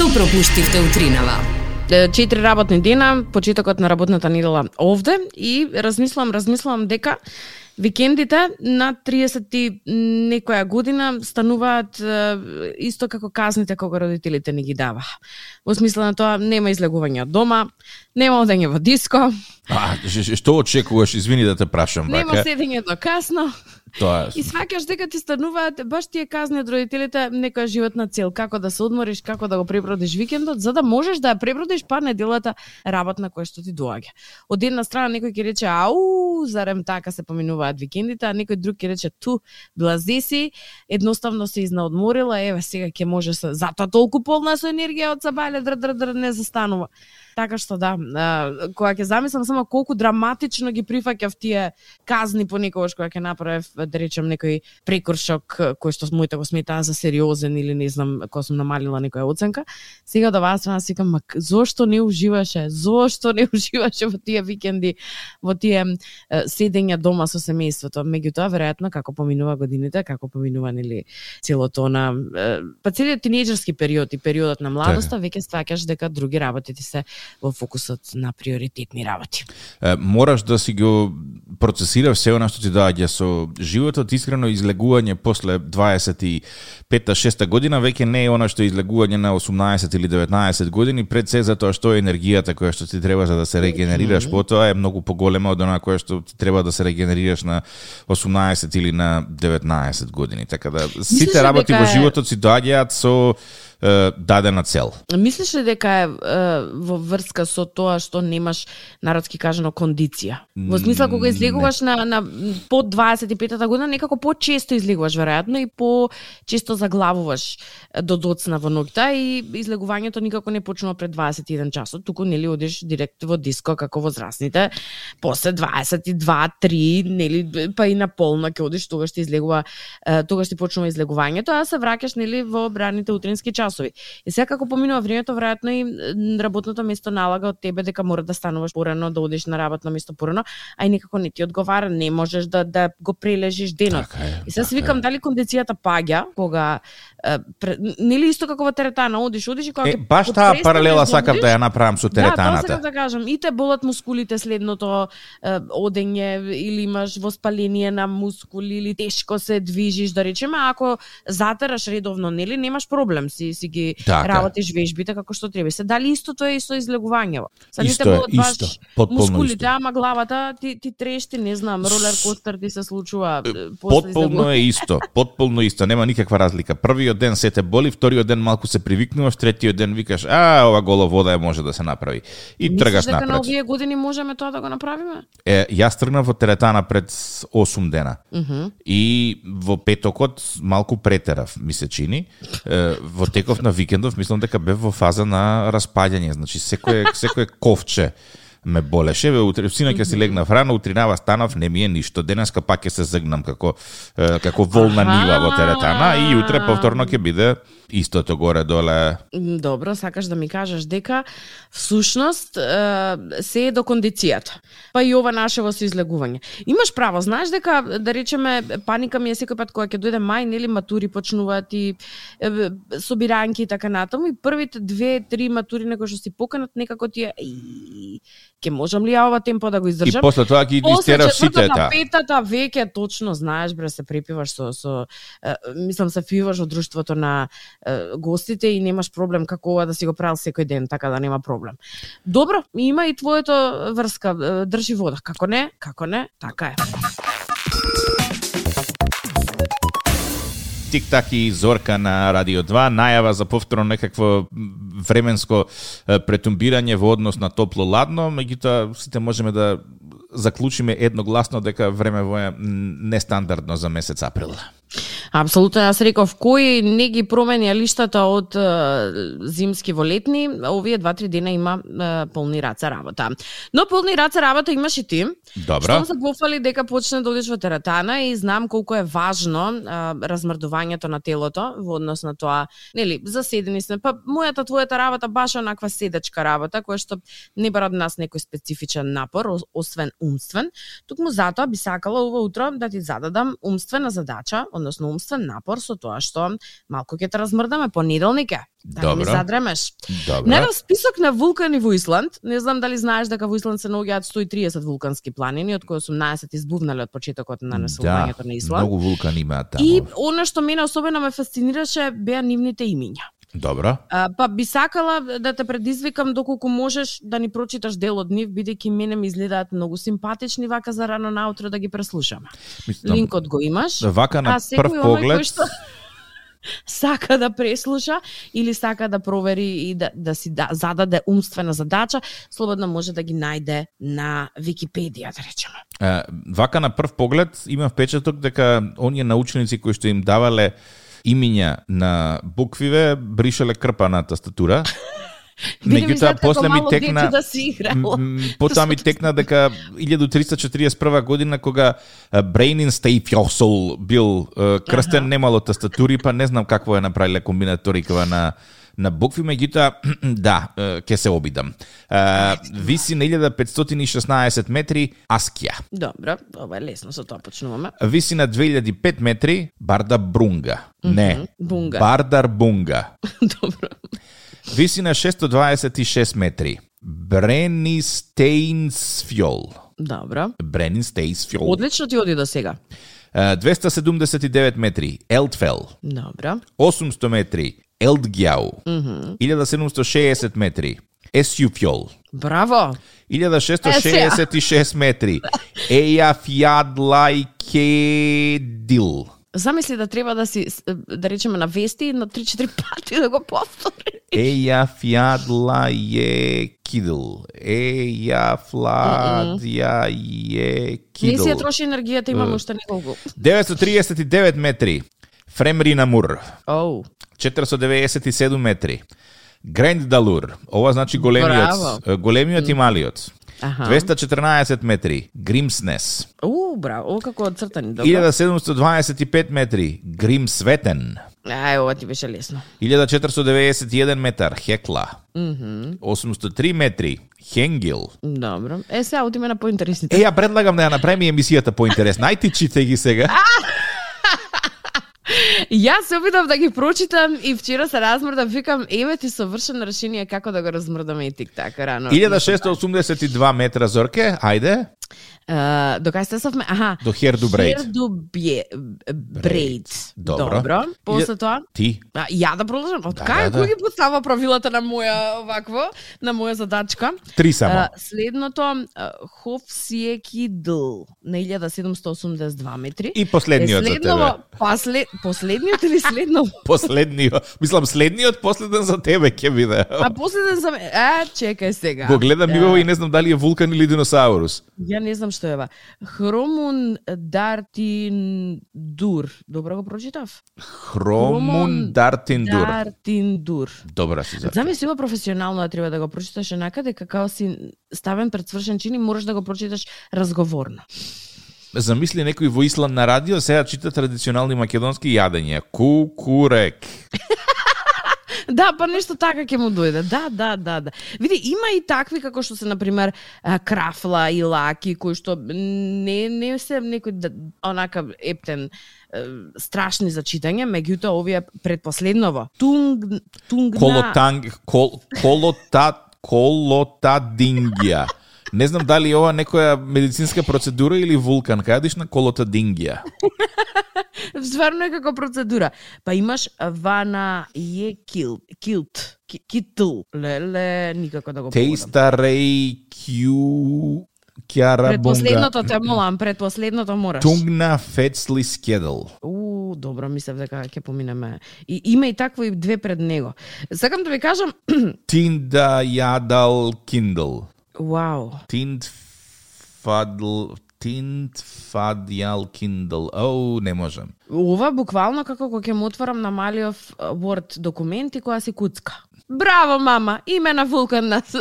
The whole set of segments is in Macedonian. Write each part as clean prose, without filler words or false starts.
Што пропуштивте утринава? 4 работни дена, почетокот на работната недела овде и размислам дека викендите на 30 и некоја година стануваат исто како казните кога родителите не ги дава. Во смисла на тоа нема излегување од дома, нема одење во диско. Што очекуваш, извини да те прашам, бака? Нема седење до касно. Тоа И сваќаш дека ти стануваат баш тие казни од родителите некоја животна цел, како да се одмориш, како да го пребродиш викендот, за да можеш да ја пребродиш па неделата работна која што ти доаѓа. Од една страна некој ќе рече ау, зарем така се поминуваат викендите, а некој друг ќе рече ту, блази си, едноставно се изнаодморила, еве сега ќе може се, затоа толку полна со енергија од сабале др не застанува. Така што да, кога ќе замислам само колку драматично ги прифаќав тие казни понекогаш кога ќе направев, да речем, некој прекуршок кој што моите го сметаа за сериозен или не знам, кога сум намалила некоја оценка, сега до вас си викам, зошто не уживаше? Зошто не уживаше во тие викенди, во тие седења дома со семејството? Меѓутоа, веројатно, како поминува годините, како поминува нели целото на па целиот тинејџерски период и периодот на младоста, веќе сваќаш дека други работи ти се во фокусот на приоритетни работи. Мораш да си го процесираш се она што ти доаѓа со животот. Искрено, излегување после 25-6 година веќе не е она што е излегување на 18 или 19 години, пред се затоа што енергијата која што ти треба за да се регенерираш потоа е многу поголема од она која што ти треба да се регенерираш на 18 или на 19 години. Така да сите работи во животот си доаѓаат со дадена цел. Мислиш ли дека е во врска со тоа што немаш, народски кажано, кондиција? Во смисла, кога излегуваш на под 25-та година, некако по-често излегуваш, веројатно, и по-често заглавуваш до доцна во ноќта и излегувањето никако не почнува пред 21 часот, туку нели одиш директ во диско како возрастните, после 22-3, нели, па и на полна ќе одиш, тогаш ти излегува, тогаш ти почнува излегувањето, а се враќаш нели во браните утрински часови. И сега како поминува времето, веројатно и работното место налага од тебе дека мора да стануваш порано, да одиш на работно место порано, а и некако не ти одговара, не можеш да го прележиш денот. И сега си викам дали кондицијата паѓа кога нели исто како во теретана, одиш и кога баш таа паралела сакам да ја направам со теретаната. Да, тоа сакам да кажам, и те болат мускулите следното одење или имаш воспаление на мускули или тешко се движиш, да речеме, ако затераш редовно, нели немаш проблем, си ги работиш вежбите како што треба. Се дали истото е и со излегувањето? Исто е, исто, потполно мускулите, исто. Ама главата ти трешти, не знам, ролер костер ти се случува потполно е исто, потполно исто, нема никаква разлика. Првиот ден се те боли, вториот ден малку се привикнуваш, третиот ден викаш, ова голо вода може да се направи. И тргаш напред. Мислиш дека на овие години можеме тоа да го направиме? Јас тргнав во теретана пред 8 дена. И во петокот малку претерав, ми се чини. Во теков на викендов мислам дека бев во фаза на распаѓање, значи секое ковче ме болеше. Синоќа си легнав рано, утринава станав, не ми е ништо. Денеска пак ќе се згнам како волна нива во теретана и утре повторно ќе биде истото горе-доле. Добро, сакаш да ми кажеш дека всушност се е до кондицијата. Па и ова нашево со излегување. Имаш право, знаеш дека, да речеме, паника ми е секој пат кога ќе дојде мај, нели матури почнуваат и собиранки и така натаму, и првите 2-3 матури на кои што си поканат, некако ти е ќе можам ли ја ова темпо да го издржам? И после тоа ги истераш сите таа. Петата веќе точно знаеш, бре, се препиваш со мислам се фиваш од друштвото на гостите и немаш проблем како ова да си го правил секој ден, така да нема проблем. Добро, има и твоето врска, држи вода. Како не? Како не? Така е. Тик-так и Зорка на Радио 2, најава за повторно некакво временско претумбирање во однос на топло-ладно, меѓутоа сите можеме да заклучиме едногласно дека времево е нестандардно за месец април. Апсолутно, јас реков, кој не ги промени лиштата од зимски во летни, овие 2-3 дена има полни раце работа. Но полни раце работа имаш и ти. Добро. Што се пофали дека почне да одиш во теретана и знам колку е важно размрдувањето на телото во однос на тоа, нели, заседени сме, па мојата твојата работа баш онаква седачка работа, која што не бара од нас некој специфичен напор, освен умствен. Токму затоа би сакала ова утро да ти зададам умствена задача, односно умствен напор со тоа што малку ќе те размрдаме понеделник е. Да ми задремеш. Најдов список на вулкани во Исланд. Не знам дали знаеш дека во Исланд се наоѓаат 130 вулкански планини, од кои 18 избувнале од почетокот на населувањето на Исланд. Многу вулкани имаат таму. И она што мене особено ме фасцинираше беа нивните имиња. Добро. Па би сакала да те предизвикам доколку можеш да ни прочиташ дел од нив, бидејќи мене ми изгледаат многу симпатични вака за рано наутро да ги преслушаме. Линкот го имаш. Вака на прв поглед сака да преслуша или сака да провери и да си зададе умствена задача, слободно може да ги најде на Википедија, да речеме. Вака на прв поглед има впечаток дека оние научници кои што им давале имиња на буквиве бришале крпа на тастатура. Меѓутоа после ми текна потоа ми текна дека 1341 година кога Брейнин Стейфјосол бил крстен, немало тастатури, па не знам какво е направиле комбинаторикава на букви, меѓутоа да, ќе се обидам. Виси на 1516 метри Аскија. Добро, ова е лесно, со тоа почнуваме. Виси на 2005 метри Бардабрунга. Не, Бунга. Бардарбунга. Добро. Виси на 626 метри Бренистејнсфјол. Добро. Бренистејнсфјол. Одлично ти оди до сега. 279 метри Елтфел. Добро. 800 метри Елдгјау. 1760 метри Есјуфјол. Браво. 1666 метри Ејафјадлајкедил. Замисли да треба да си, да речеме на вести, на 3-4 пати да го повтори. Ејафјадлајкедил. Ејафладјајкедил. Не си ја троши енергијата, имаме уште неколку. 939 метри Фремринамур. 497 метри Грендалур. Ова значи големиот и малиот. 214 метри Гримснес. Браво, како одцртани, добро. 1725 метри Гримсветен. Ова ти беше лесно. 1491 метар Хекла. 803 метри Хенгил. Добро. Сега отиме на поинтересните. Ја предлагам да ја направиме емисијата поинтересна. Ајде читай ги сега. Јас се обидов да ги прочитам и вчера се размрдам, викам, еве ти совршено решение како да го размрдаме и тик-так рано. 1682 метра Зорке, ајде. До кај стесавме? До Хердубрейд. Хердубрейд. Добро. После тоа? Ти. Ја да продолжам. Кој ги поставува правилата на моја овакво, на моја задачка? 3 само. Следното Хофсиекидл на 1782 метри. И последниот за тебе. Последниот или следно? Последниот. Мислам следниот, последен за тебе ќе биде. Последен за мене. Чекај сега. Го гледам мивово и не знам дали е вулкан или диносаурус. Ја не знам што е ова. Хромундартиндур. Добро го прочитав? Хромундартиндур. Добра си за. Замисли ова професионално да треба да го прочиташ накаде како си ставен пред свршен чин и можеш да го прочиташ разговорно. Замисли некој во Исланд на радио сега чита традиционални македонски јадења. Кукурек. Да, па нешто така ќе му дојде. Да. Види, има и такви како што се на пример крафла и лаки кои што не се некој онака ептен страшни за читање, меѓутоа овие предпоследново. Колотадингија. Не знам дали ова некоја медицинска процедура или вулкан. Кај на Колотадингија? Стварно е како процедура. Па имаш Вана Килт. Леле, никако да го погодам. Тейстарей Кјарабунга. Предпоследното те молам, предпоследното мораш. Тунгна Фецли Скедл. Добро, мислев дека ќе поминеме. И има и такво и две пред него. Сакам да ви кажам Тинда Јадал Киндл. Вау. Тинтфадјал Киндл. Не можам. Ова буквално како кога ќе му отворам на малиот Word документ и која си куцка. Браво, мама, име на вулкан нас.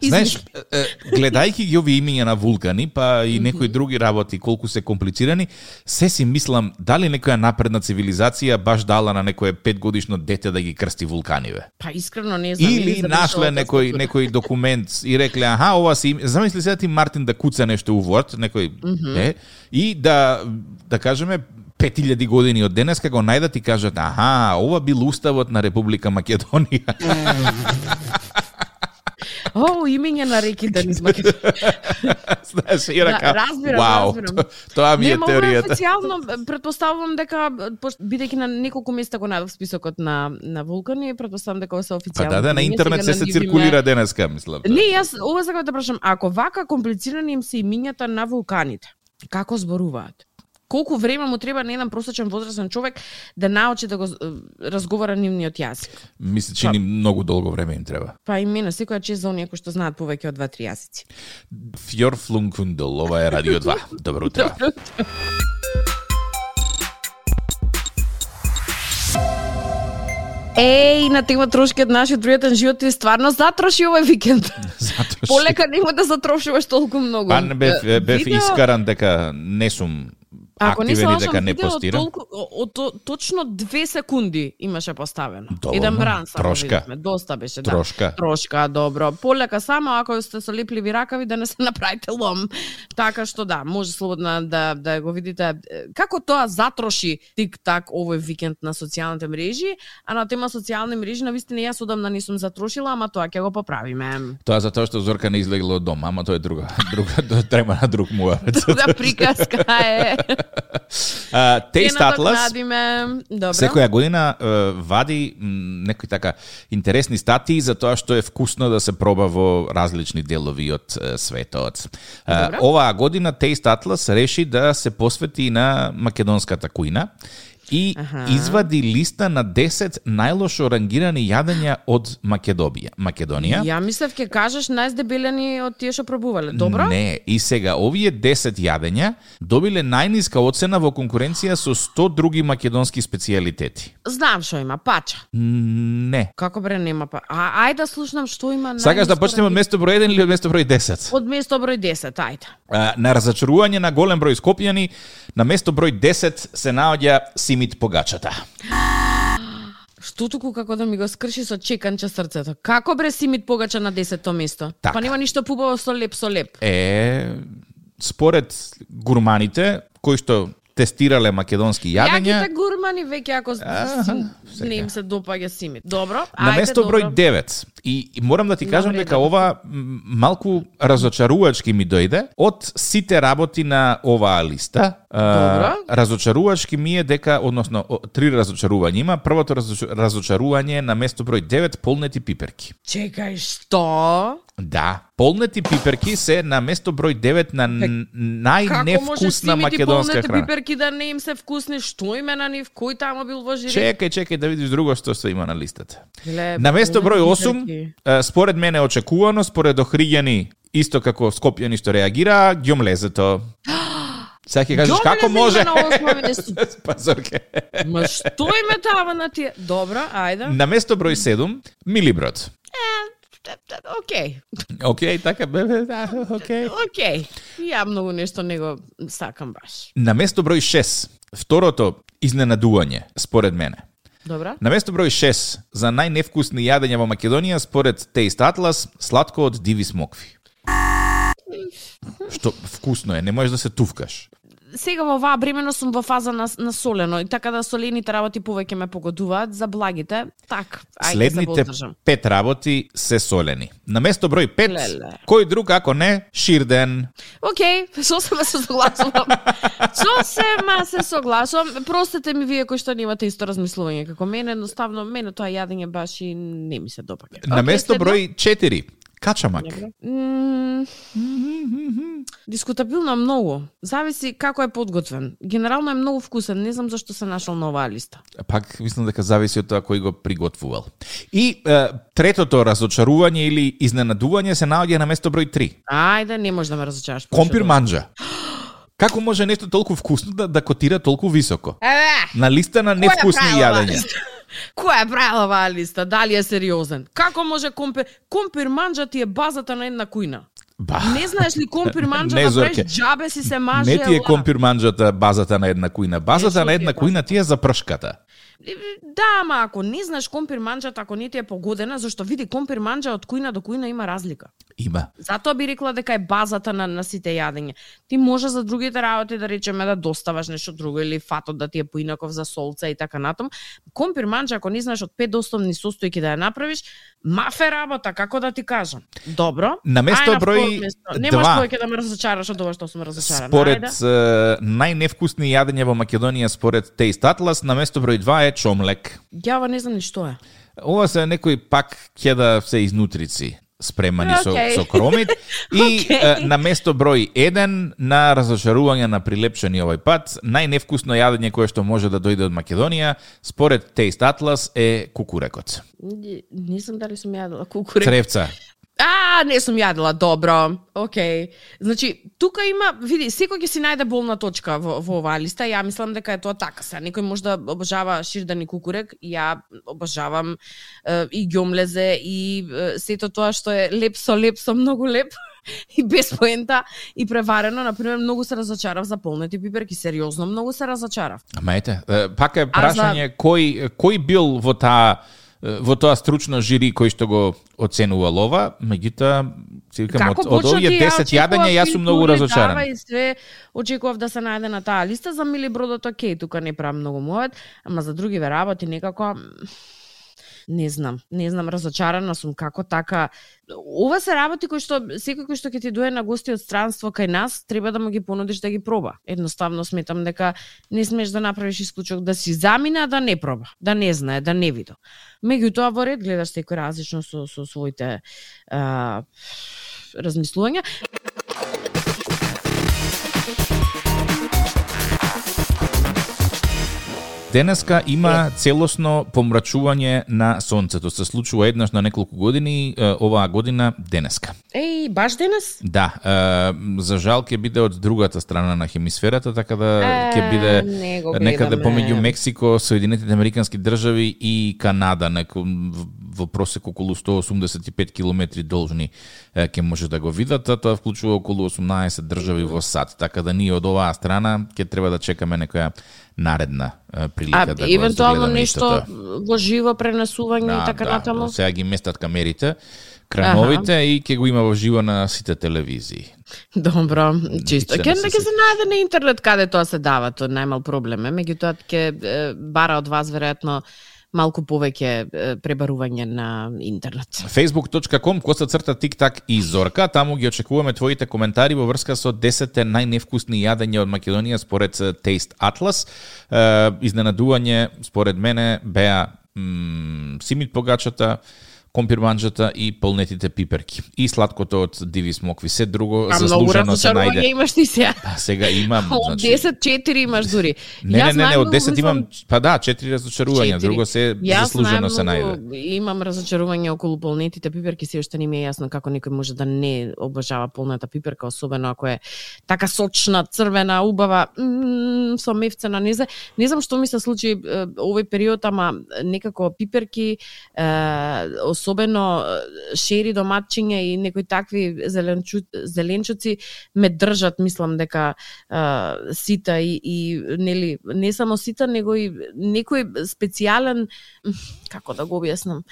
Знаеш, гледајќи ги овие имиња на вулкани, па и некои други работи, колку се комплицирани, се си мислам, дали некоја напредна цивилизација баш дала на некое 5-годишно дете да ги крсти вулканиве? Па искрено не знам. Или нашле некој документ и рекле, ова си, замисли сега ти Мартин да куца нешто у Word, некој, и да кажеме, 5000 години од денеска го најдат и кажат, аха, ова бил уставот на Република Македонија. Имење на реки да низ Македонија. Знаеш, и рака, разбирам. Тоа ми е теоријата. Официјално претпоставувам дека бидејќи на неколку места го најдов списокот на вулкани, претпоставувам дека се официјално. Да, на интернет се циркулира денеска, мислам. Не, јас ова сакам да прашам, ако вака комплицирани им се имињата на вулканите, како зборуваат? Колку време му треба на еден просечен возрастен човек да научи да го разговара нивниот јазик? Мисли, че ни многу долго време им треба. Па и мене, секоја чест за оние кои што знаат повеќе од 2-3 јазици. Фјорфлункундел, ова е Радио 2. Добро утро. На тема трошки од нашиот пријатен живот и стварно затроши овој викенд. Полека нема да затрошуваш толку многу. Па бев искаран дека не сум активен и дека не постирам. Точно 2 секунди имаше поставено. Еден бран само трошка. Видихме. Доста беше, Трошка. Трошка, добро. Полека само ако сте со лепливи ракави да не се направите лом. Така што да, може слободно да го видите како тоа затроши тик-так овој викенд на социјалните мрежи, а на тема социјални мрежи навистина јас одамна не сум затрошила, ама тоа ќе го поправиме. Тоа затоа што Зорка не излегла од дом, ама тоа е друга трема на друг муавец. Друга приказка е. Taste Atlas секоја година вади некои така интересни статии за тоа што е вкусно да се проба во различни делови од светот. Оваа година Taste Atlas реши да се посвети на македонската кујна и извади листа на 10 најлошо рангирани јадења од Македонија. Ја мислев ќе кажеш најздебелени од тие што пробувале. Добро? Не, и сега овие 10 јадења добиле најниска оцена во конкуренција со 100 други македонски специјалитети. Знам што има, пача. Не. Како бре нема па? Ајде да слушнам што има најниска. Сакаш да почнеме од место број 1 или од место број 10? Од место број 10, ајде. На разочарување на голем број скопјани, на место број 10 се наоѓа Симит Погачата. Што туку како да ми го скрши со чеканче срцето. Како бре Симит Погача на 10-то место? Так. Па нема ништо побаво со леп. Според гурманите кои што тестирале македонски јадења. Јаките гурмани веќе ако не им се допаѓа Симит. Добро, на место број 9. И морам да ти кажам дека ова малку разочарувачки ми дојде од сите работи на оваа листа. Разочарувачки ми е дека, односно, 3 разочарувања има. Првото разочарување на место број 9 полнети пиперки. Чекај, што? Да, полнети пиперки се на место број 9 на најневкусна македонска храна. Како може пиперки да не им се вкусни? Што име на нив? Кој тамо бил во жири? Чекај да видиш друго што се има на листата. На место број 8, според мене очекувано, според Охриѓани, исто како скопјани што реагира, ѓомлезето. Сега ќе кажеш како може? Пазорке. Ма што име тава на тие? Добро, ајде. На место број 7, Милиброд. Океј, така бебе, океј. Ја многу нешто не го сакам баш. На место број 6, второто изненадување, според мене. Добра. На место број 6, за најневкусни јадења во Македонија, според Taste Atlas, сладко од диви смокви. Што вкусно е, не можеш да се туфкаш. Сега во оваа бремено сум во фаза на солено и така да солените работи повеќе ме погодуваат, за благите, так, ајде следните 5 работи се солени. На место број 5, кој друг ако не, ширден. Сосема се согласувам. Простете ми вие кои што немате исто размислување како мене, едноставно мене тоа јадење баш и не ми се допаѓа. На место број 4, качамак. Дискутабилно многу. Зависи како е подготвен. Генерално е многу вкусен. Не знам зашто се нашол на оваа листа. Пак мислам дека зависи од тоа кој го приготвувал. И третото разочарување или изненадување се наоѓа на место број 3. Ајде, не може да ме разочараш. Компир манџа. Како може нешто толку вкусно да котира толку високо? На листа на невкусни јадења. Која е правила оваа листа? Дали е сериозен? Како може компир манџа ти е базата на една кујна? Не знаеш ли компир манџа да правиш џабе си се маже? Не ти е компир манџата базата на една кујна. Базата на една кујна ти е за пршката. Да, ама ако не знаеш компир манџата, ако не ти е погодена, зашто види компир манџа од кујна до кујна има разлика. Има. Затоа би рекла дека е базата на сите јадење. Ти може за другите работи да речеме да доставаш нешто друго или фатот да ти е поинаков за солца и така натам. Компир манџа, ако не знаеш од 5 основни состојки да ја направиш, мафе работа, како да ти кажам. Добро. На место број 2. Не можеш повеќе да ме разочараш од ова што сум разочарана. Според најневкусни јадења во Македонија според Taste Atlas, на место број 2 е чомлек. Јава не знам ни што е. Ова се некои пак кеда се изнутрици спремани со кромит и на место број 1 на разочарување на прилепчени овој пат, најневкусно јадење кое што може да дојде од Македонија според Taste Atlas е кукурекот. Не знам дали сум јадела кукурек. Цревца. Не сум јадела, добро. Океј. Значи, тука има, види, секој ќе си најде болна точка во оваа листа. Ја мислам дека е тоа така. Се некој може да обожава ширдан и кукурек, ја обожавам и ѓомлезе и сето тоа што е леп со многу леп и без поента и преварено. Например, многу се разочарав за полнети пиперки, сериозно многу се разочарав. Ама ете, пак е прашање кој бил во тоа стручно жири кој што го оценувал ова, меѓутоа од овие 10 јадења јас сум многу разочаран. И све очекував да се најде на таа листа, за мили бродот окей, тука не правам многу мојот, ама за другиве работи некако не знам, разочарана сум како така. Ова се работи кои што секој кој што ќе ти дое на гости од странство кај нас, треба да му ги понудиш да ги проба. Едноставно сметам дека не смеш да направиш исклучок да си замина, да не проба, да не знае, да не види. Меѓутоа во ред гледаш секој различно со своите размислувања. Денеска има целосно помрачување на сонцето. Се случува еднаш на неколку години, оваа година денеска. Баш денес? Да, за жал ќе биде од другата страна на хемисферата, така да ќе биде некаде помеѓу Мексико, Соединетите Американски држави и Канада, во просек околу 185 километри должни ќе може да го видат, а тоа вклучува околу 18 држави во САД, така да ние од оваа страна ќе треба да чекаме некоја наредна прилика да го евентуално нешто во живо пренесување и така натаму. Сега ги местат камерите, крановите и ќе го има во живо на сите телевизии. Добро, чисто. Ќе се најде на интернет каде тоа се дава, тоа најмал проблем е, меѓутоа ќе бара од вас веројатно малку повеќе пребарување на интернет. facebook.com/TikTak и Зорка, таму ги очекуваме твоите коментари во врска со 10 најневкусни јадења од Македонија според Taste Atlas. Изненадување според мене беа симит погачата, компир манџата и полнетите пиперки. И сладкото од диви смокви. Се друго заслужено се најде. Имаш ти сега. Сега имам. Од 10-4 имаш дури. Не, од 10 имам, 4 разочарувања, друго се заслужено се најде. Имам разочарување околу полнетите пиперки, се уште не ми е јасно како некој може да не обожава полната пиперка, особено ако е така сочна, црвена, убава, со мевцена, не знам што ми се случи овој период, ама некако пиперки, особено шери, доматчиња и некои такви зеленчуци ме држат, мислам дека сита и нели не само сита, него и некој специјален, како да го објаснам,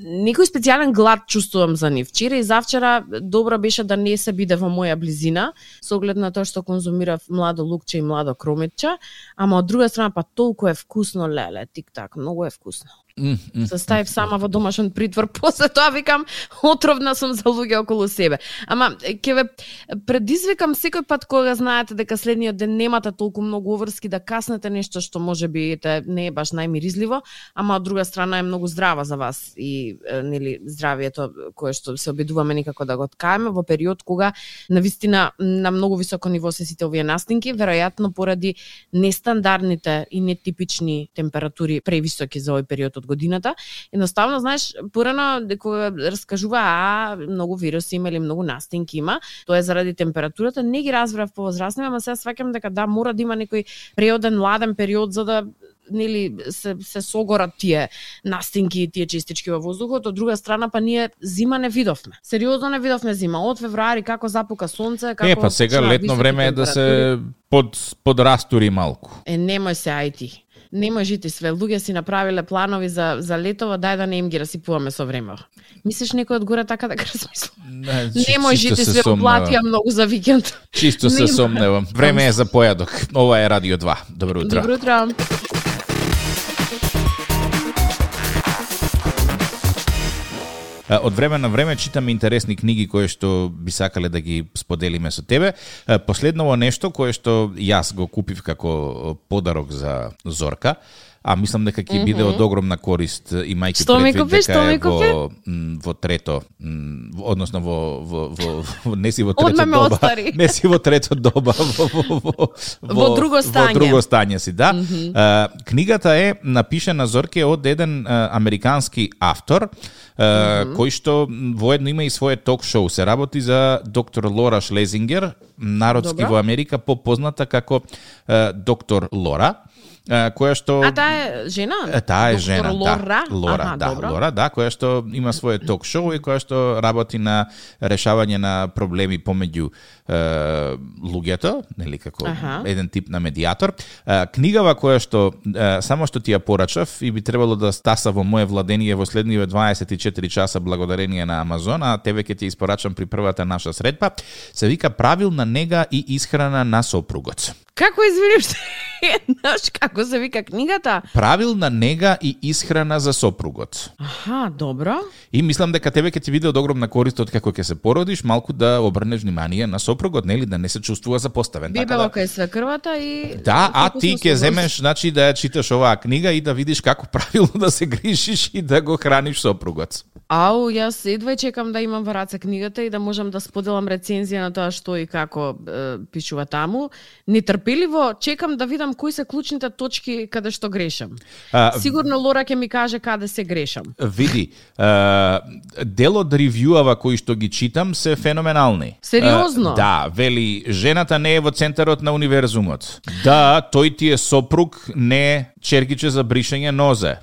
некој специјален глад чувствувам за нив. Вчера и завчера добро беше да не се биде во моја близина, со оглед на тоа што конзумирав младо лукче и младо крометче, ама од друга страна па толку е вкусно, леле, тик-так, многу е вкусно. Се ставив сама во домашен притвор, после тоа викам отровна сум за луѓе околу себе. Ама ќе ве предизвикам секој пат кога знаете дека следниот ден немате толку многу оврски да каснете нешто што можеби не е баш најмиризливо, ама од друга страна е многу здрава за вас и нели здравието кое што се обидуваме никако да го откаеме во период кога навистина на многу високо ниво се сите овие настинки, веројатно поради нестандардните и нетипични температури превисоки за овој период од годината. Едноставно, знаеш, порано кога раскажува многу вируси има или многу настинки има, тоа е заради температурата, не ги разбрав по возрастни, ама сега сваќам дека да мора да има некој преоден ладен период за да нели се согорат тие настинки и тие честички во воздухот. Од друга страна па ние зима не видовме. Сериозно не видовме зима. Од февруари како запука сонце, како па сега летно време е да се подрастури малку. Немој се ајти. Не можете све. Луѓе си направиле планови за летово, дај да не им ги расипуваме со време. Мислиш некој од горе така да го размислува? Не можете све, платија многу за викенд. Чисто се сомневам. Време е за појадок. Ова е Радио 2. Добро утро. Добро утро. Од време на време читаме интересни книги кои што би сакале да ги споделиме со тебе. Последново нешто кое што јас го купив како подарок за Зорка, а мислам дека ќе биде од огромна корист, имајќи предвид дека е во трето, односно не си во трето доба, не си во трето доба, во друго стање. Во друго стање си, да. Книгата е напишана, Зорке, од еден американски автор, кој што воедно има и свое ток-шоу. Се работи за доктор Лора Шлезингер, народски во Америка попозната како доктор Лора, која што... А таа е жена? Таа е жена, Лора? Лора, Лора, која што има свое ток-шоу и која што работи на решавање на проблеми помеѓу луѓето, нели, како еден тип на медиатор. Книгава која што само што ти ја порачав и би требало да стаса во моје владение во следниве 24 часа благодарение на Амазон, а тебе ќе ти испорачам при првата наша средба, се вика Правилна нега и исхрана на сопругот. Како извиниш? Знаеш како се вика книгата? Правилна нега и исхрана за сопругот. Аха, добро. И мислам дека тебе ќе ти биде од огромна корист од како ќе се породиш, малку да обрнеш внимание на сопругот, нели, да не се чувствува запоставен. Бебело кај свекрвата и... Да, а ти ќе земеш, значи, да ја читаш оваа книга и да видиш како правилно да се грижиш и да го храниш сопругот. Ау, јас едва чекам да имам во раце книгата и да можам да споделам рецензија на тоа што и како пишува таму. Нетрпеливо чекам да видам кои се клучните точки каде што грешам. Сигурно Лора ќе ми каже каде се грешам. Види, дел од ревјуава кои што ги читам се феноменални. Сериозно? Да, вели, жената не е во центарот на универзумот. Да, тој ти е сопруг, не черкиче за бришење нозе.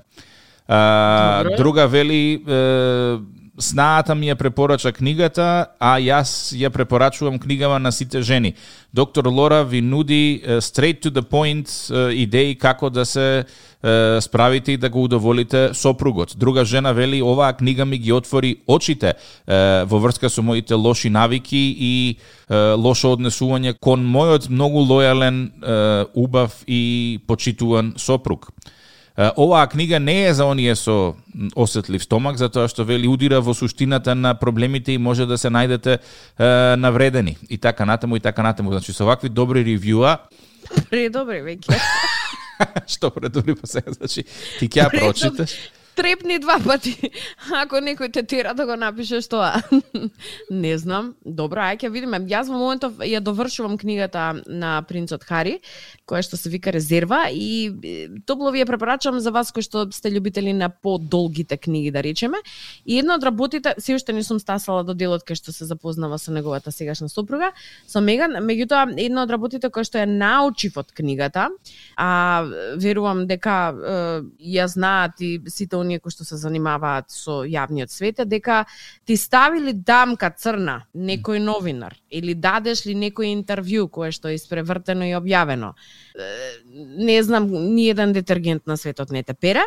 Друга вели, снаата ми ја препорача книгата, а јас ја препорачувам книгава на сите жени. Доктор Лора ви нуди straight to the point идеи како да се справите и да го удоволите сопругот. Друга жена вели, оваа книга ми ги отвори очите во врска со моите лоши навики и лошо однесување кон мојот многу лојален, убав и почитуван сопруг. Оваа книга не е за оние со осетлив стомак, затоа што вели удира во суштината на проблемите и може да се најдете навредени. И така натаму, и така натаму. Значи, со вакви добри ревјуа... Предобри, веќе. Што предобри па сега? Значи, ти ќе ја прочиташ? Трепни 2 пати, ако некој те тера да го напишеш тоа. Не знам. Добро, ај ќе видиме. Јас во моментов ја довршувам книгата на принцот Хари, која што се вика Резерва, и топло ви ја препорачувам за вас кои што сте љубители на подолгите книги, да речеме. И една од работите, се уште не сум стасала до делот кај што се запознава со неговата сегашна сопруга, со Меган, меѓутоа една од работите која што ја научив од книгата, а верувам дека ја знаат и сите оние кои што се занимаваат со јавниот свет, дека ти ставили дамка црна некој новинар или дадеш ли некој интервју кое што е испревртено и објавено, не знам, ни еден детергент на светот не те пере.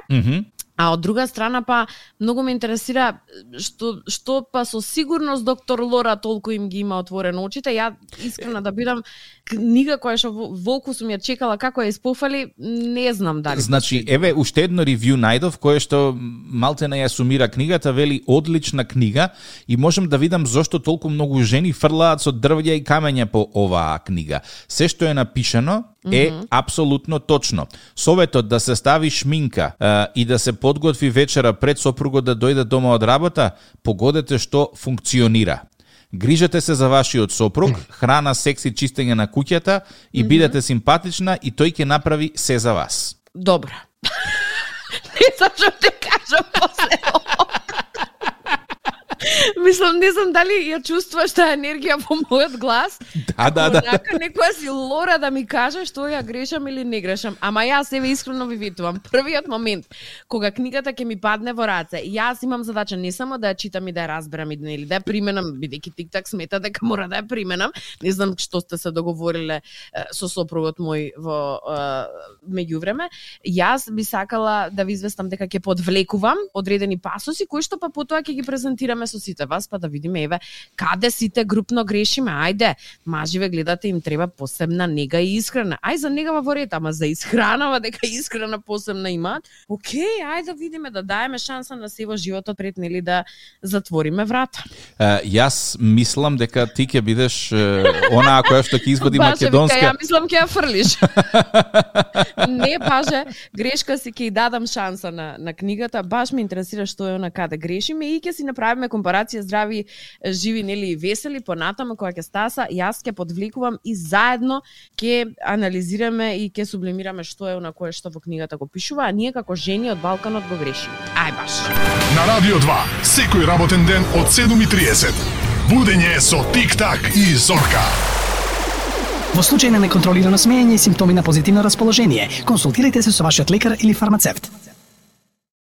А од друга страна па многу ме интересира што па со сигурност доктор Лора толку им ги има отворено очите. Ја искрена да бидам, книга која што волку сум ја чекала како ја испофали, не знам дали. Значи, еве уште едно ревју најдов кое што малтена ја сумира книгата, вели одлична книга и можам да видам зошто толку многу жени фрлаат со дрвја и камења по оваа книга. Се што е напишано е апсолутно точно. Советот да се стави шминка и да се подготви вечера пред сопругот да дојде дома од работа, погодете што функционира. Грижете се за вашиот сопруг, храна, секс и чистење на куќата и бидете симпатична и тој ќе направи се за вас. Добро. Не знам што те кажам после. Мислам, не знам дали ја чувствуваш таа енергија во мојот глас. Да. Онака некоја си лора да ми каже што ја грешам или не грешам. Ама јас себе искрено ви ветувам. Првиот момент кога книгата ќе ми падне во раце, јас имам задача не само да ја читам и да ја разберам или да ја применам, бидејќи TikTok смета дека мора да ја применам. Не знам што сте се договориле со сопругот мој во меѓувреме. Јас би сакала да ви известам дека ќе подвлекувам одредени пасоси кои што па потоа ќе ги презентираме со сите вас, па да видиме еве каде сите групно грешиме. Ајде, маживе гледате, им треба посебна нега и исхрана. Ај за негава во ред, ама за исхранава дека исхрана посебна имаат. Океј, ајде да видиме, да даеме шанса на се во животот пред нели да затвориме врата. Јас мислам дека ти ќе бидеш онаа која што ќе извади македонска. Ја мислам ќе ја фрлиш. Не, баже, грешка си ќе дадам шанса на книгата. Баш ме интересира што е она каде грешиме и ќе си направиме компарација здрави, живи нели весели понатаму кога ќе стаса. Јас ќе подвлекувам и заедно ќе анализираме и ќе сублимираме што е она кое што во книгата го пишува, а ние како жени од Балканот го грешиме. Ај баш. На Радио 2, секој работен ден од 7:30. Будење со Тик-так и Зорка. Во случај на неконтролирано смеење и симптоми на позитивно расположение, консултирайте се со вашиот лекар или фармацевт.